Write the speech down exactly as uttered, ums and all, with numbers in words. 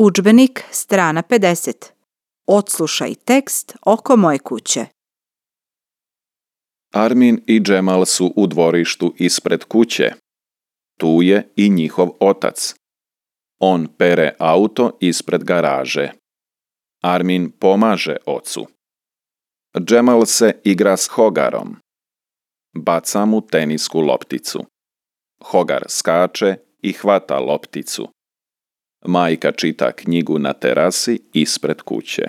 Udžbenik, strana pedeset. Odslušaj tekst oko moje kuće. Armin i Džemal su u dvorištu ispred kuće. Tu je i njihov otac. On pere auto ispred garaže. Armin pomaže ocu. Džemal se igra s Hogarom. Baca mu tenisku lopticu. Hogar skače i hvata lopticu. Majka čita knjigu na terasi ispred kuće.